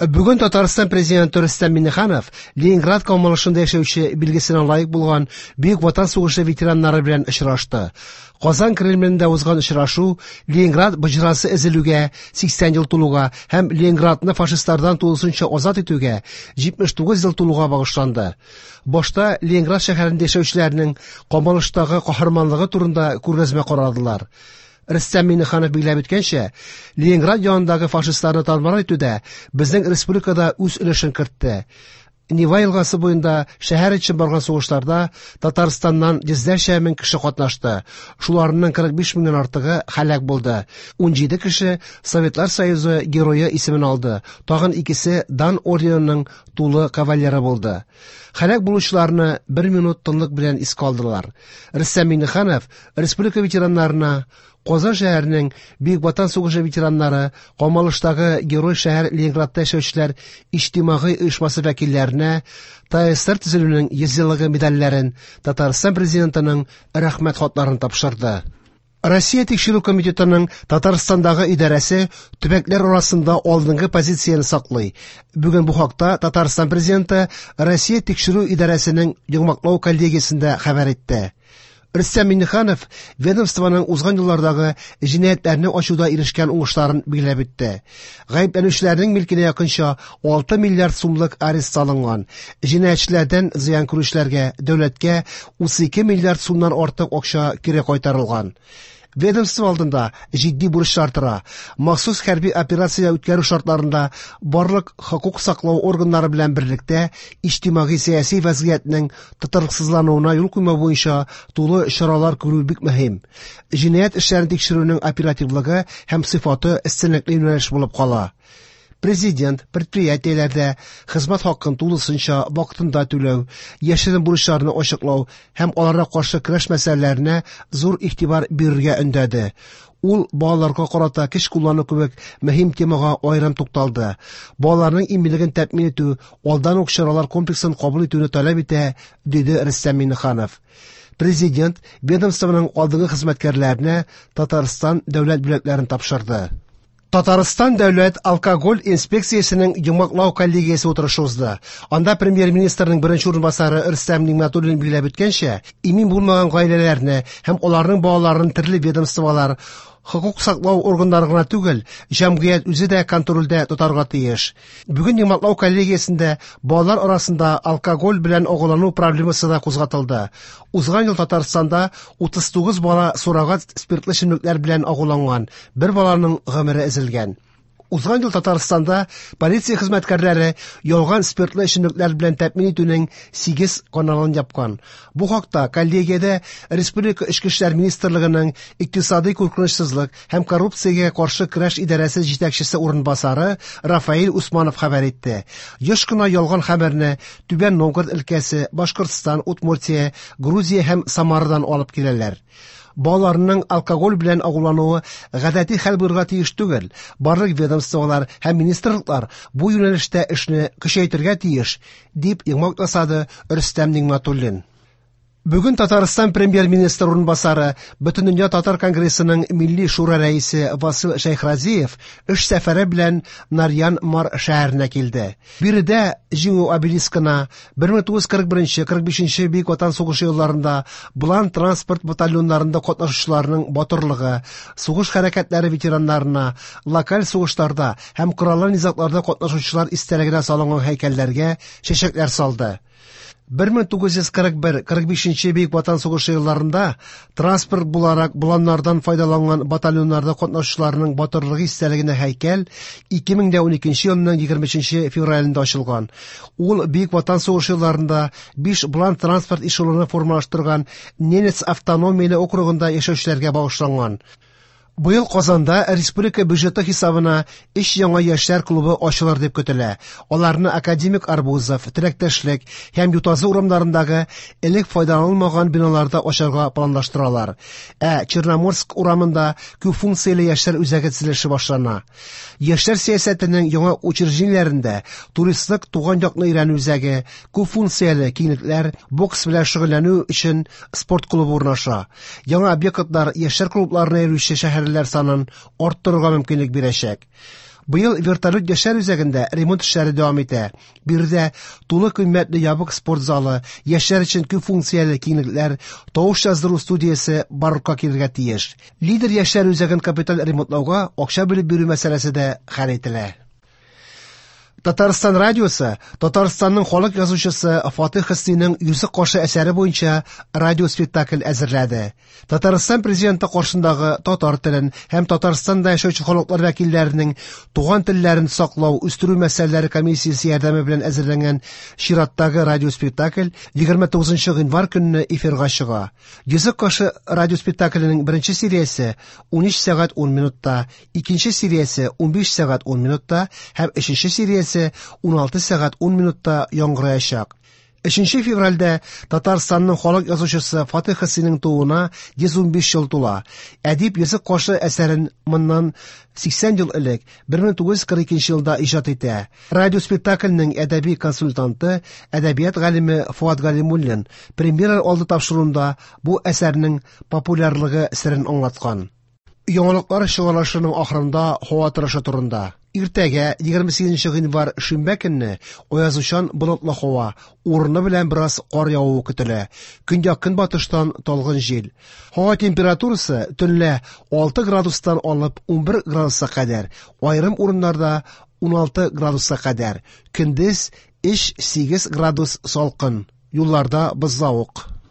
Бүген Татарстан президенты Рөстәм Миңнеханов Ленинград камалышында яшәүче билгесенә лаек булган Бөек Ватан сугышы ветераннары белән очрашты. Казан Кремлендә узган очрашу Ленинград боҗрасы өзелүгә 80 ел тулуга һәм Ленинградны фашистлардан тулысынча азат итүгә 79 ел тулуга багышланды. Башта Ленинград шәһәрендә яшәүчеләрнең камалыштагы каһарманлыгы турында күргәзмә карадылар. Рөстәм Миңнеханов билгеләп үткәнчә, Ленинград янындагы фашистларны тар-мар итүдә безнең республика да үз өлешен кертте. Нева елгасы буенда шәһәр өчен барган сугышларда Татарстаннан йөзләрчә мең кеше катнашты. Шуларның 45 меңнән артыгы һәлак булды. 17 кеше Советлар Союзы Герое исемен алды. Тагын икесе Дан орденының тулы кавалеры булды. Һәлак булучыларны бер минут тынлык белән искә алдылар. Рөстәм Миңнеханов республика ветераннарына Казан шәһәренең Бөек Ватан сугышы ветераннары, камалыштагы герой шәһәр Ленинградта яшәүчеләр иҗтимагый оешмасы вәкилләренә ТАССР төзелүнең 100 еллыгы медальләрен, Татарстан Президентының Рәхмәт хатларын тапшырды. Россия Тикшерү комитетының Татарстандагы идарәсе төбәкләр арасында алдынгы позицияне саклый. Бүген бу хакта Татарстан Президенты Россия Тикшерү идарәсенең йомгаклау коллегиясендә хәбәр итте. Рөстәм Миңнеханов ведомствоның узган еллардагы җинаятьләрне ачуда ирешкән уңышларын билгеләп үтте. Гаепләнүчеләрнең милкенә якынча 6 миллиард сумлык арест салынган. Җинаятьчеләрдән зыян күрүчеләргә дәүләткә 32 миллиард сумнан артык акча кире кайтарылган. Ведомство алдында җитди бурычлар тора. Махсус хәрби операция үткәрү шартларында барлык хокук саклау органнары белән берлектә иҗтимагый-сәяси вазгыятьнең тотрыксызлануына юл куймау буенча тулы чаралар күрү бик мөһим. Җинаять эшләрен тикшерүнең оперативлыгы һәм сыйфаты өстенлекле юнәлеш булып кала. Президент предприятиеләрдә хезмәт хакын тулысынча вакытында түләү, яшерен бурычларны ачыклау һәм аларга каршы көрәш мәсьәләләренә зур игътибар бирергә өндәде. Ул балаларга карата көч куллану кебек мөһим темага аерым тукталды. Балаларның иминлеген тәэмин итү алдан ук чаралар комплексын кабул итүне таләп итә, диде Рөстәм Миңнеханов. Президент ведомствоның алдынгы хезмәткәрләренә Татарстан дәүләт бүләкләрен тапшырды. Татарстан дәүләт алкоголь инспекциясенең йомгаклау коллегиясе утырышы узды. Анда премьер-министрның беренче урынбасары Рөстәм Нигъмәтуллин билгеләп үткәнчә, имин булмаган гаиләләрне һәм аларның балаларын төрле ведомстволар, хокук саклау органнары гына түгел, җәмгыять үзе дә контрольдә тотарга тиеш. Бүген йомгаклау коллегиясендә балалар арасында алкоголь белән агулану проблемасы да кузгатылды. Узган ел Татарстанда 39 бала суррогат спиртлы эчемлекләр белән агуланган, бер баланың гомере өзелгән. Узган ел Татарстанда полиция хезмәткәрләре ялган спиртлы эчемлекләр белән тәэмин итүнең 8 каналын япкан. Бу хакта коллегиядә Республика Эчке эшләр министрлыгының икътисадый куркынычсызлык һәм коррупциягә каршы көрәш идарәсе җитәкчесе урынбасары Рафаэль Усманов хәбәр итте. Еш кына ялган хәбәрне Түбән Новгород өлкәсе, Башкортстан, Удмуртия, Грузия һәм Самарадан алып киләләр. Балаларның алкоголь белән агулануы гадәти хәл булырга тиеш түгел. Барлык ведомстволар һәм министрлыклар бу юнәлештә эшне көчәйтергә тиеш, дип йомгак ясады Рөстәм Нигъмәтуллин. Бүген Татарстан премьер-министр урынбасары, Бөтендөнья татар конгрессының Милли шура рәисе Васил Шәйхразиев эш сәфәре белән Нарьян-Мар шәһәренә килде. Биредә Җиңү обелискына 1941-45 Бөек Ватан сугышы елларында Булан транспорт батальоннарында катнашучыларның батырлыгы, сугыш хәрәкәтләре ветераннарына, локаль сугышларда һәм кораллы низагларда катнашучылар истәлегенә салынган һәйкәлләргә чәчәкләр салды. 1941-45 Бөек Ватан сугышы елларында транспорт буларак буланнардан файдаланган батальоннарда катнашучыларның батырлыгы истәлегенә һәйкәл 2012 елның 23 февралендә ачылган. Ул Бөек Ватан сугышы елларында 5 булан транспорт эшелоны формалаштырган Ненец автономияле округында яшәүчеләргә багышланган. Быел Казанда республика бюджеты хисабына 3 яңа яшьләр клубы ачылыр дип көтелә. Аларны Академик Арбузов, Теләктәшлек һәм Ютазы урамнарындагы элек файдаланылмаган биналарда ачарга планлаштыралар. Ә Черноморск урамында күп функцияле яшьләр үзәге төзелеше башлана. Яшьләр сәясәтенең яңа учреждениеләрендә туристлык туган якны өйрәнү үзәге, күп функцияле киңлекләр, бокс белән шөгыльләнү өчен спорт клубы урнаша. Яңа объектлар яшьләр клубларына йөрүче шәһәрлеләр санын арттырырга мөмкинлек бирәчәк. Быел Вертолет яшьләр үзәгендә ремонт эшләре дәвам итә. Биредә тулы кыйммәтле ябык спорт залы, яшьләр өчен күп функцияле киңлекләр, тавыш яздыру студиясе барлыкка килергә тиеш. Лидер яшьләр үзәген капиталь ремонтлауга акча бүлеп бирү мәсьәләсе дә хәл ителә. Татарстан радиосы Татарстанның халык язучысы Фатих Хөснинең Йөзек кашы әсәре буенча радиоспектакль әзерләде. Татарстан президенты каршындагы татар телен һәм Татарстанда яшәүче халыклар вәкилләренең туган телләрен саклау, үстерү мәсьәләләре комиссиясе ярдәме белән әзерләнгән чираттагы радиоспектакль 29 гыйнвар көнне эфирга чыга. Йөзек кашы радиоспектакленең беренче сериясе 13 сәгать 10 минутта, икенче сериясе 15 сәгать 10 минутта һәм өченче сериясе 16 сәгать 10 минутта яңгыраячак. 3 февральдә Татарстанның халык язучысы Фатих Хөснинең тууына 115 ел тула. Әдип Йөзек кашы әсәрен моннан 80 ел элек 1942 елда иҗат итә. Радиоспектакльнең әдәби консультанты, әдәбият галиме Фуат Галимуллин премьера алды тапшыруында бу әсәрнең популярлыгы серен аңлаткан. Яңалыклар чыгарылышының ахырында һава торышы турында. Иртәгә 28 гыйнвар шимбә көнне аязучан болытлы һава, урыны белән бераз кар явуы көтелә. Көньяк-көнбатыштан талгын җил. Һава температурасы төнлә 6 градустан алып 11 градуска кадәр, аерым урыннарда 16 градуска кадәр. Көндез 3-8 градус салкын. Юлларда бозлавык.